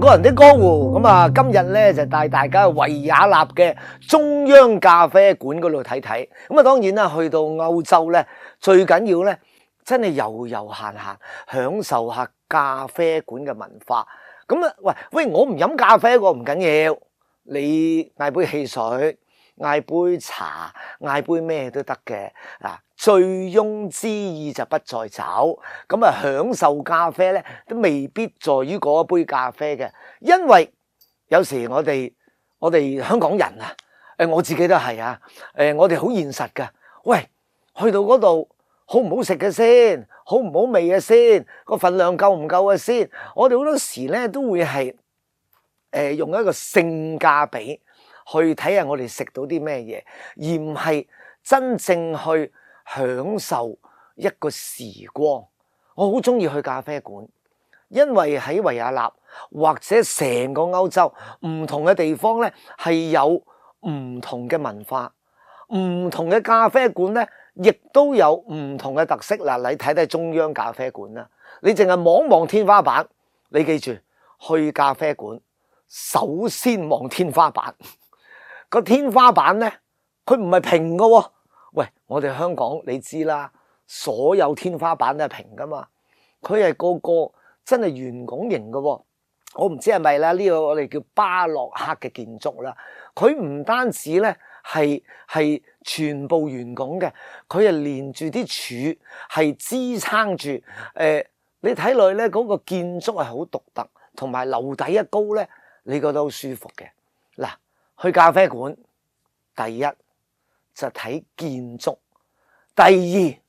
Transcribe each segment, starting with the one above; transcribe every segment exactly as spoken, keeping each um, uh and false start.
個人的江湖咁啊，今日咧就帶大家去維也納嘅中央咖啡館嗰度睇睇。咁啊，當然啦，去到歐洲咧，最緊要咧，真係遊遊閒閒，享受下咖啡館嘅文化。咁啊，喂喂，我唔飲咖啡喎，唔緊要，你嗌杯汽水，嗌杯茶，嗌杯咩都得嘅啊！醉翁之意就不在酒，咁啊享受咖啡咧，都未必在於嗰一杯咖啡嘅，因為有時我哋我哋香港人啊，誒我自己都係啊，誒我哋好現實㗎，喂，去到嗰度好唔好食嘅先，好唔好味嘅先，個份量夠唔夠嘅先，我哋好多時咧都會係誒、呃、用一個性價比去睇下我哋食到啲咩嘢，而唔係真正去享受一個時光。我好中意去咖啡館，因為喺維也納或者成個歐洲唔同嘅地方咧，係有唔同嘅文化，唔同嘅咖啡館咧，亦都有唔同嘅特色。嗱，你睇睇中央咖啡館啦，你淨係望望天花板，你記住去咖啡館首先望天花板。個天花板咧，佢唔係平㗎喎。喂，我哋香港你知啦，所有天花板都係平噶嘛，佢係個個真係圓拱形嘅喎。我唔知係咪啦，呢個我哋叫巴洛克嘅建築啦。佢唔單止咧係係全部圓拱嘅，佢係連住啲柱係支撐住。誒、呃，你睇落去咧嗰個建築係好獨特，同埋樓底一高咧，你覺得好舒服嘅。嗱，去咖啡館，第一就睇建築，第二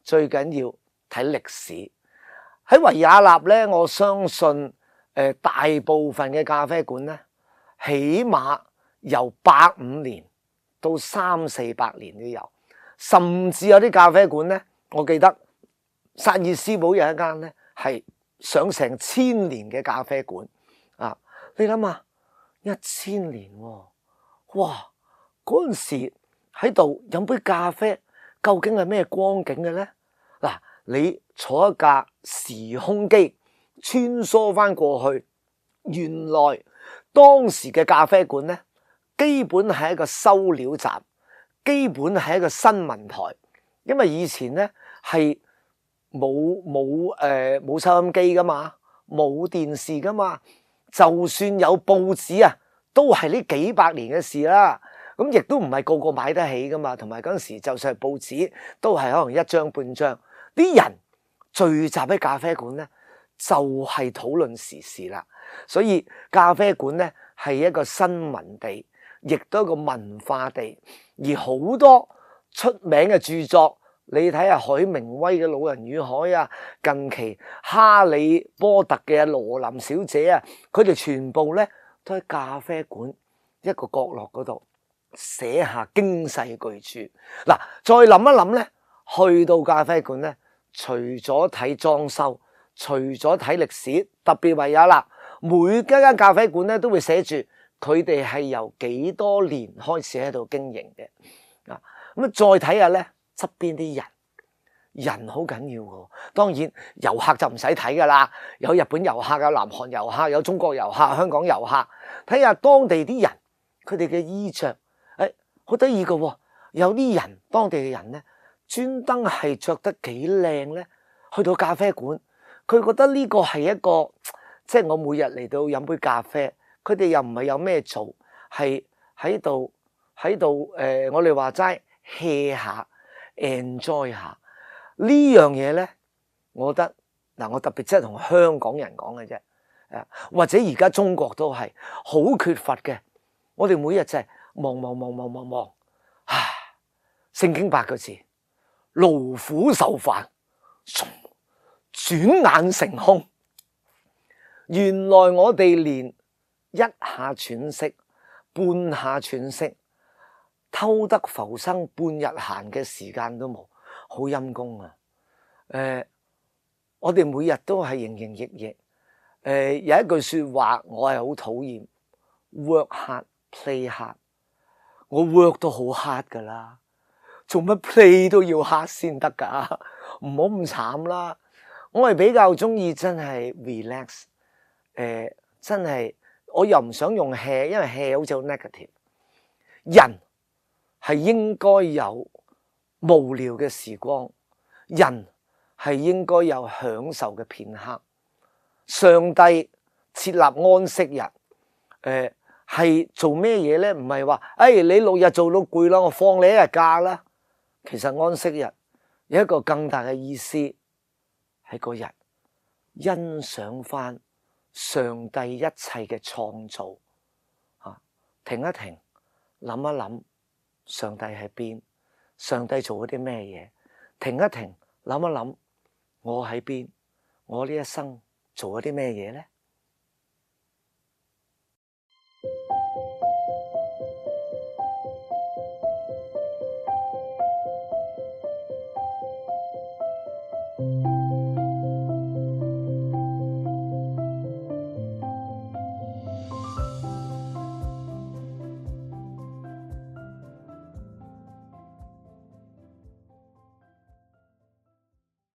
最緊要睇歷史。喺維也納咧，我相信誒、呃、大部分嘅咖啡館咧，起碼由百五年到三四百年都有，甚至有啲咖啡館咧，我記得薩爾斯堡有一間咧係上成千年嘅咖啡館啊！你諗下，一千年喎、哦，哇！嗰陣時喺度飲杯咖啡，究竟係咩光景嘅咧？嗱，你坐一架時空機穿梭翻過去，原來當時嘅咖啡館咧，基本係一個收料站，基本係一個新聞台，因為以前咧係冇冇誒冇收音機噶嘛，冇電視噶嘛，就算有報紙啊，都係呢幾百年嘅事啦。咁亦都唔係個個買得起噶嘛，同埋嗰陣時就算係報紙，都係可能一張半張。啲人聚集喺咖啡館咧，就係討論時事啦。所以咖啡館咧係一個新聞地，亦都係一個文化地。而好多出名嘅著作，你睇下海明威嘅《老人與海》啊，近期哈利波特嘅羅琳小姐啊，佢哋全部咧都喺咖啡館一個角落嗰度寫下經世巨著。嗱，再諗一諗咧，去到咖啡館咧，除咗睇裝修，除咗睇歷史，特別維也納每一間咖啡館咧都會寫住佢哋係由幾多年開始喺度經營嘅。啊，咁啊再睇下咧側邊啲人，人好緊要嘅。當然遊客就唔使睇噶啦，有日本遊客，有南韓遊客，有中國遊客，香港遊客，睇下當地啲人佢哋嘅衣着。誒，好得意嘅喎，有啲人當地嘅人咧，專登係着得幾靚咧，去到咖啡館，佢覺得呢個係一個，即係我每日嚟到飲杯咖啡，佢哋又唔係有咩做，係喺度喺度誒，我哋話齋 hea 下 enjoy 下呢樣嘢咧，我覺得嗱，我特別即係同香港人講嘅啫，誒，或者而家中國都係好缺乏嘅，我哋每日就係望望望望望望，唉，聖經八個字，勞苦受煩，轉眼成空。原來我哋連一下喘息、半下喘息、偷得浮生半日閒嘅時間都冇，好陰功啊！誒、呃，我哋每日都係營營役役。誒、呃，有一句說話我係好討厭 ，work hard, play hard。我 work 都好 hard 噶啦，做乜 play 都要 hard 先得噶？唔好咁慘啦！我係比較中意真係 relax，誒、呃，真係我又唔想用 hea， 因為 hea 好似好 negative。人係應該有無聊嘅時光，人係應該有享受嘅片刻。上帝設立安息日，誒、呃、係做咩嘢咧？唔係話誒你六日做到攰啦，我放你一日假啦。其實安息日有一個更大嘅意思，喺嗰日欣賞翻上帝一切嘅創造，啊，停一停，諗一諗，上帝喺邊？上帝做咗啲咩嘢？停一停，諗一諗，我喺邊？我呢一生做咗啲咩嘢咧？